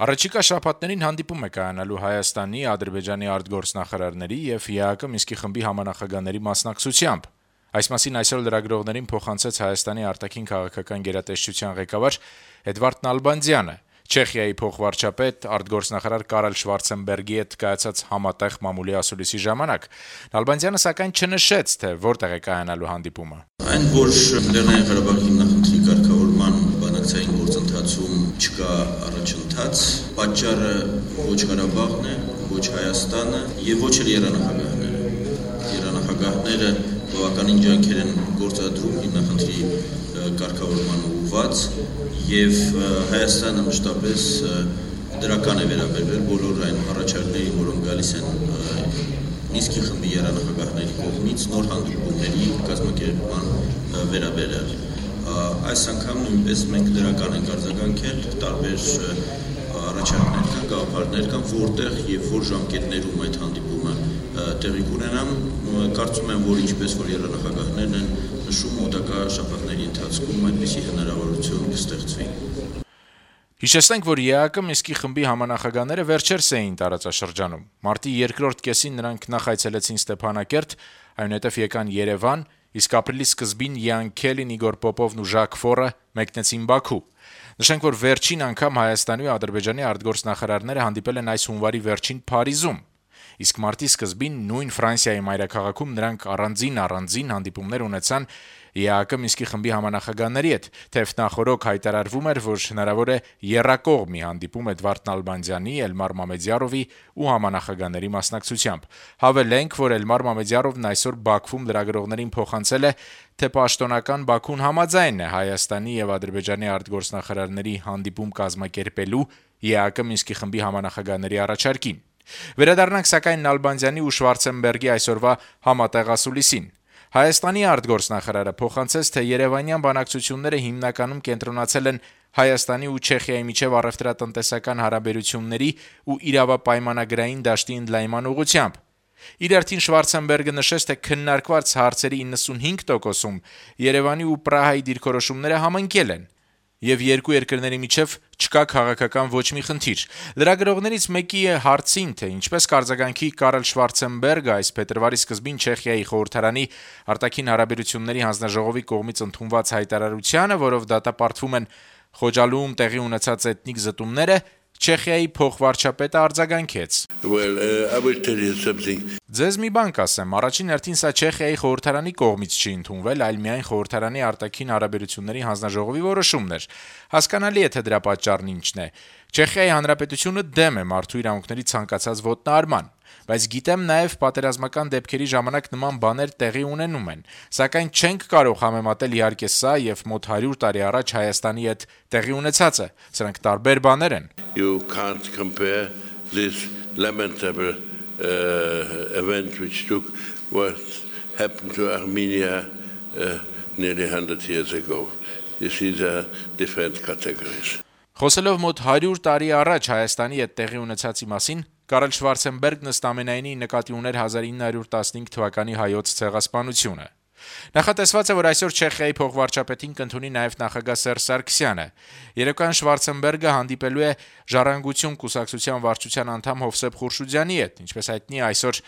Առաջիկա շաբաթներին հանդիպում է կայանալու Հայաստանի, Ադրբեջանի արտգործնախարարների եւ ԵԱՀԿ Մինսկի խմբի համանախագահների մասնակցությամբ։ Այս մասին այսօր լրագրողներին փոխանցեց Հայաստանի արտաքին քաղաքական գերատեսչության ղեկավար Էդվարդ Նալբանդյանը։ Չեխիայի փոխվարչապետ արտգործնախարար Կարել Շվարցենբերգի հետ կայացած համատեղ մամուլի ասուլիսի ժամանակ Նալբանդյանը սակայն չնշեց, թե որտեղ է կայանալու հանդիպումը։ Այն, որ Լեռնային Ղարաբաղի հիմնախնդրի կարգավորման բանակցային գործընթացում չկա առաջընթաց, պատճառը ոչ Ղարաբաղն է, ոչ Հայաստանը եւ ոչ էլ երանախագահները։ Երանախագահները բավականին ջանքեր են գործադրում հիմնախնդրի կարգավորման ուղղված եւ Հայաստանը մշտապես դրական է վերաբերվել բոլոր այն առաջարկներին, որոնք գալիս են Մինսկի խմբի երանախագահների կողմից նոր հանդիպումների կազմակերպման վերաբերյալ։ Այս անգամ նույնպես մենք դրական ենք արձագանքել, տարբեր առաջարկներ կան, գաղափարներ կան, որտեղ եւ որ ժամկետներում այդ հանդիպումը տեղի կունենա, կարծում եմ, որ ինչպես որ երանախագահներն են նշում, մոտակա շաբաթների ընթացքում այդպիսի հնարավորություն կստեղծվի։ Հիշեցնենք, որ ԵԱՀԿ Մինսկի խմբի համանախագահները վերջերս էին տարածաշրջանում։ Մարտի երկրորդ կեսին նրանք նախ այցելեցին Ստեփանակերտ, այնուհետև եկան Երևան, իսկ ապրիլի սկզբին Յան Քելին, Իգոր Պոպովն ու Ժակ Ֆորը մեկնեցին Բաքու։ Նշենք, որ վերջին անգամ Հայաստանի ու Ադրբեջանի արտգործնախարարները հանդիպել են այս հունվարի վերջին Փարիզում։ Իսկ մարտի սկզբին նույն Ֆրանսիայի մայրաքաղաքում նրանք առանձին հանդիպումներ ունեցան ԵԱՀԿ Մինսկի խմբի համանախագահների հետ, թեև նախօրոք հայտարարվում էր, որ հնարավոր է եռակողմ մի հանդիպում Էդվարդ Նալբանդյանի, Էլմար Մամեդյարովի ու համանախագահների մասնակցությամբ։ Հավելենք, որ Էլմար Մամեդյարովն այսօր Բաքվում լրագրողներին փոխանցել է, թե պաշտոնական Բաքուն համաձայն է Հայաստանի եւ Ադրբեջանի արտգործնախարարների հանդիպում կազմակերպելու ԵԱՀԿ Մինսկի խմբի համանախագահների առաջարկին։ Վերադառնանք սակայն Նալբանդյանի ու Շվարցենբերգի այսօրվա համատեղ ասուլիսին։ Հայաստանի արտգործնախարարը փոխանցեց, թե երևանյան բանակցությունները հիմնականում կենտրոնացել են Հայաստանի ու Չեխիայի միջև առևտրատնտեսական հարաբերությունների ու իրավապայմանագրային դաշտի ընդլայնման ուղղությամբ։ Իր հերթին Շվարցենբերգը նշեց, թե քննարկված հարցերի 95%-ում Երևանի ու Պրահայի դիրքորոշումները համընկել են եւ երկու երկրների միջև չկա քաղաքական ոչ մի խնդիր։ Լրագրողներից մեկի հարցին, թե ինչպես կարձագանքի Կարել Շվարցենբերգը այս փետրվարի սկզբին Չեխիայի խորհրդարանի արտաքին հարաբերությունների հանձնաժողովի կողմից ընդունված հայտարարությանը, որով դատապարտվում են Խոջալուում տեղի ունեցած էթնիկ զտումները, Չեխիայի փոխվարչապետը արձագանքեց. Ձեզ մի բան կասեմ, առաջին հերթին սա Չեխիայի խորհրդարանի կողմից չի ընդունվել, այլ միայն խորհրդարանի արտաքին հարաբերությունների հանձնաժողովի որոշումն էր։ Հասկանալի է, թե դրա պատճառն ինչն է։ Չեխիայի հանրապետությունը դեմ է մարդու իրավունքների ցանկացած ոտնահարման, բայց գիտեմ նաև պատերազմական դեպքերի ժամանակ նման բաներ տեղի ունենում են, սակայն չենք կարող համեմատել իհարկե սա եւ մոտ 100 տարի առաջ Հայաստանի հետ տեղի ունեցածը, սրանք տարբեր բաներ են։ You can't compare this lamentable event which took what happened to Armenia nearly 100 years ago. This is a different categories. Խոսելով մոտ 100 տարի առաջ Հայաստանի հետ տեղի ունեցածի մասին, Կարել Շվարցենբերգն ըստ ամենայնի նկատի ուներ 1915 թվականի հայոց ցեղասպանությունը։ Նախատեսված է, որ այսօր Չեխիայի փոխվարչապետին կընդունի նաև նախագահ Սերժ Սարգսյանը։ Երեկոյան Շվարցենբերգը հանդիպելու է Ժառանգություն կուսակցության վարչության անդամ Հովսեփ Խուրշուդյանի հետ, ինչպես հայտնի այսօր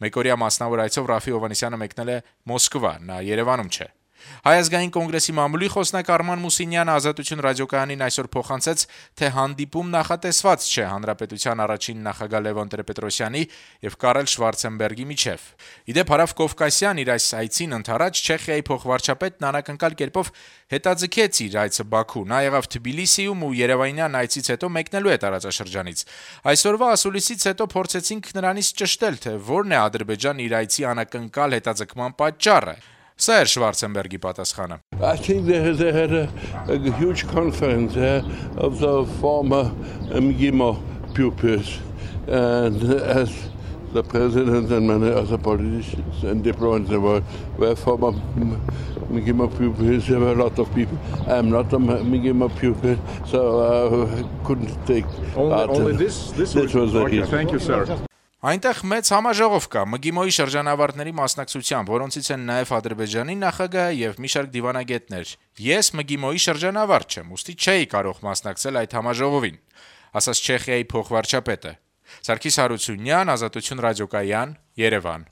մեկօրյա մասնավոր այցով Ռաֆի Հովհաննիսյանը մեկնել է Մոսկվա, նա Երևանում չէ։ Հայ ազգային կոնգրեսի մամուլի խոսնակ Արման Մուսինյանը Ազատություն ռադիոկայանին այսօր փոխանցեց, թե հանդիպում նախատեսված չէ հանրապետության առաջին նախագահ Լևոն Տեր-Պետրոսյանի եւ Կարել Շվարցենբերգի միջև։ Իդեպ Հարավ Կովկասյան իր այս այցին ընդառաջ Չեխիայի փոխվարչապետն անակնկալ կերպով հետաձգեց իր այցը Բաքու։ Նա եղավ Թբիլիսիում ու Երևանյան այցից հետո մեկնելու է տարածաշրջանից։ Այսօրվա ասուլիսից հետո փորձեցինք նրանից ճշտել, թե որն է Ադրբեջան իր այցի անակնկալ հետաձգման պատճառը։ Սա էր Շվարցենբերգի պատասխանը. I think they had a huge conference of the former MGIMO pupils, and as the president and many other politicians and diplomats were former MGIMO pupils. There were a lot of people. I am not a MGIMO pupil, so I couldn't take part. Only this was the reason. Thank you, sir. Այնտեղ մեծ համաժողով կա ՄԳԻՄՕ-ի շրջանավարտների մասնակցությամբ, որոնցից են նաև Ադրբեջանի նախագահը եւ մի շարք դիվանագետներ։ Ես ՄԳԻՄՕ-ի շրջանավարտ չեմ, ուստի չէի կարող մասնակցել այդ համաժողովին։ ասաց Չեխիայի փոխվարչապետը։ Սարգիս Հարությունյան, Ազատություն ռադիոկայան, Երևան։